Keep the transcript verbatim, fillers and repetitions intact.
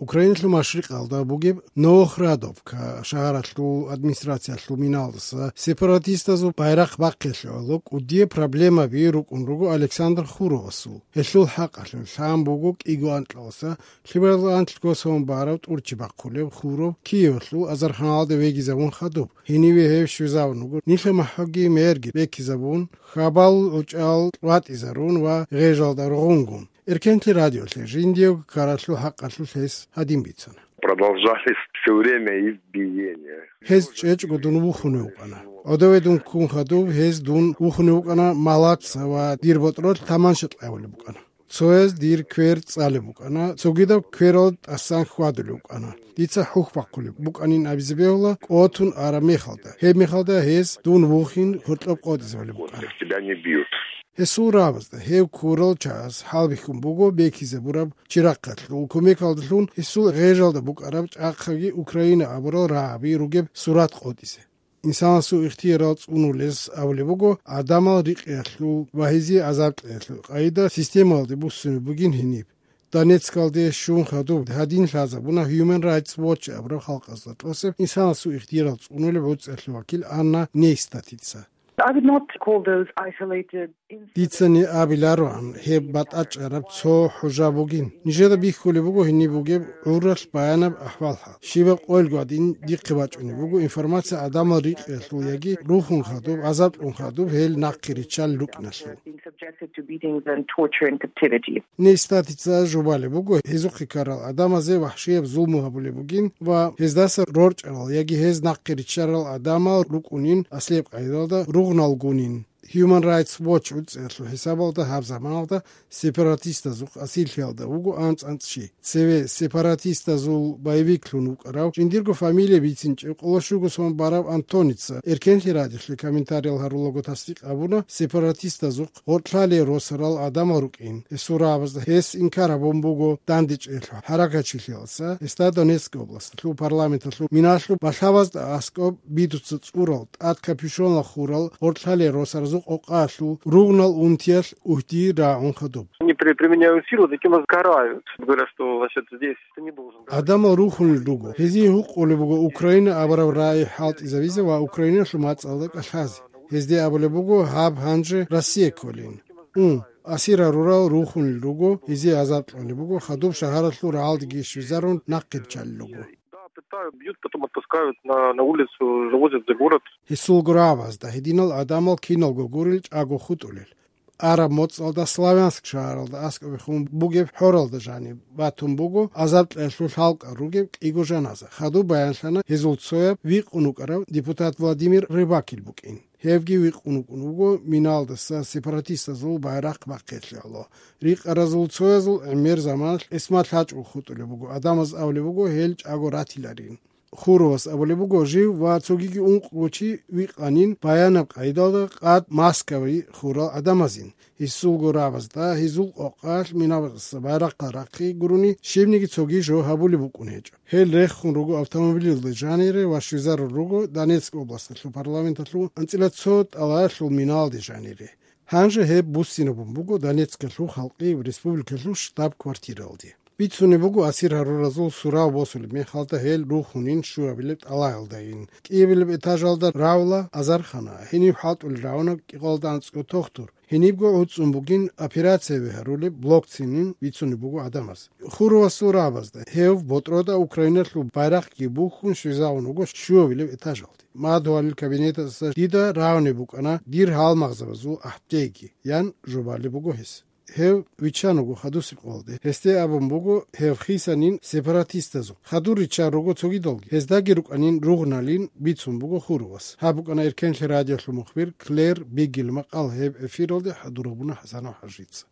Украиналъул машрикъалда бугеб Новохрадовка шагьаралъул администрациялъул миналдаса сепаратистазул байрахъ бахъиялъе гӀоло кӀудияб проблемаби рукӀун руго Александр Хуровасул. Гьелъул хӀакъалъулъ лъан буго кӀиго анкьаласа лъималазул анлъго сон бараб тӀурчи бахъулеб Хуров Киевалъул азарханалда вегизабун хадуб. Гьениве гьев щвезавун вуго, нилъер махӀги мерги бекизабун, хабал гӀучӀал ватӀизарун ва гъежалда ругъунгун. Эркенлъи радиолъе жиндиего ккаралъул хӀакъалъулъ гьес гьадин бицана. Продолжались все время избиения. Гьез чӀечӀго дун вухунев вукӀана. ГӀодове дун ккун хадуб, гьез дун вухунев вукӀана малаца ва дир ботӀролъ таманша кьавулеб букӀана. Цояз дир квер цӀалеб букӀана, цогидаб кверал тӀасан хьвадулеб букӀана. Дица хӀухь бахъулеб букӀанин абизе бегьула кӀотун араб мехалда. Гьеб мехалда гьез дун вухин гьоркьоб къотӀизабулеб букӀана. Тебя не бьют. Гьесул рагӀабазда гьев ккурал чагӀаз хӀалбихьун буго бекизабураб чирахъалъул кумекалдалъун гьесул гъежалда букӀараб чӀахъаги Украина абурал рагӀаби ругеб сурат къотӀизе. Инсанасул ихтиярал цӀунулес абулеб буго гӀадамал рикъиялъул ва гьезие азаб кьеялъул къайда системалде буссунеб бугин гьениб. Донецкалде щун хадуб гьадин лъазабуна Human Rights Watch абураб халкъазда тӀасаб инсанасул ихтиярал цӀунулеб гӀуцӀиялъул вакил Анна Нейстатица. I would not call those isolated incidents. Дицани абилароан, гьеб батӀачӀараб цо хӀужа бугин. Нижеда бихьулеб буго гьениб бугеб гӀуралъ баянаб ахӀвал-хӀал. Щибаб къойил гвадин дихъе бачӀунеб буго информация гӀадамал рикъиялъул яги рухун хадуб, азаблъун хадуб гьел нахъе риччал рукӀиналъул. Being subjected to beatings and torture in captivity. Нейстатица жубалеб буго, гьезухъе ккарал гӀадамазе вахӀшияб зулму гьабулеб бугин ва гьездаса рорчӀарал яги гьез нахъе риччарал гӀадамал рукӀунин аслияб къайдалда ругъналгунин. Human Rights Watch гӀуцӀиялъул хӀисабалда гьаб заманалда сепаратистазухъ асирлъиялда вуго анцӀ-анцӀ чи. Цеве сепаратистазул боевиклъун вукӀарав, жиндирго фамилия бицинчӀев, къоло щуго сон барав Антоница, Эркенлъи радиолъе комментариял гьарулаго тасдикъ гьабуна, сепаратистазухъ гъоркьлъалие росарал гӀадамал рукӀин. Гьесул рагӀабазда гьес инкар гьабун буго дандечӀеялъул хӀаракатчилъиялдаса, гьесда Донецкий областалъул парламенталъул миналъул балъабазда аскӀоб бидуца цӀурал, тӀад капюшонал хурал гъоркьлъалие росаразул къокъаялъул ругънал унтиялъ угьди рагӀун хадуб. Они при-, применяют силу, таким нас карают. Говорят, что, значит, здесь ты не должен говорить. Адамал рухунел руго. Гьезие гьукъулеб буго Украина абураб рагӀи хӀалтӀизабизе ва Украиналъул мацӀалда кӀалъазе. Гьезде абулеб буго гьаб гьанже Россия кколин. Ун, асир гьарурал рухунел руго, гьезие азаб кьолеб буго, хадуб шагьаралъул рагӀалдеги щвезарун нахъе риччалел руго. Да, пытают, бьют, потом отпускают на, на улицу, завозят за город. Гьесул гурабазда гьединал адамал киналго гурел чӀаго хутӀулел. Араб моцӀалда Славянск шагьаралда аскӀобехун бугеб хӀоралда жаниб батун буго, азаб кьеялъул хӀалкӀал ругеб кӀиго жаназа. Хадуб баянлъана гьезул цояб викъун вукӀарав депутат Владимир Рыбакил букӀин. Гьевги викъун вукӀун вуго миналдаса сепаратистазул байрахъ бахъиялъе гӀоло. Рикъаразул цоязул гӀемер заманалъ эсмал лъачӀого хутӀулеб буго, адамаз абулеб буго гьел чӀаго ратиларин. Хуровас абулеб буго, жив ва цогиги ункъго чи викъанин баянаб къайдалда къад Москваялде хурал гӀадамазин. Гьесулго рагӀабазда гьезул къокъалъ минабазаса байрахъал рахъи гурони щибниги цоги жо гьабулеб букӀун гьечӀо. Гьел рехун руго автомобилалде жанире ва щвезарун руго Донецк областалъул парламенталъул анцӀила цо тӀалаялъул миналде жанире. Гьанже гьеб буссинабун буго Донецкалъул халкъи республикалъул штаб-квартиралде. Бицунеб буго асир гьаруразул сурав босулеб мехалда гьел рухунин щуабилеб тӀалаялдайин, кӀиабилеб этажалда равла азархана, гьенив хӀалтӀулел равана кӀикъоялда анцӀго тохтур. Гьенибго гӀуцӀун бугин операцияби гьарулеб блокцинин бицунеб буго гӀадамаз. Хуровасул рагӀабазда гьев ботӀрода Украиналъул байрахъги бухьун щвезавун вуго щуабилеб этажалде. Мадугьалил кабинеталдаса дида рагӀунеб букӀана дир гьалмагъзабазул ахӀдейги, ян жубалеб буго гьес. Гьев виччан вуго хадусеб къоялде. Гьесде абун буго, гьев хисанин сепаратистазухъ. Хадур риччан руго цогидалги. Гьездаги рукӀанин ругъналин бицун буго Хуровас. Гьаб букӀана Эркенлъи радиолъул мухбир Клэр Биггил макъал, гьеб эфиралде хӀадур гьабуна ХӀасанов ХӀажица.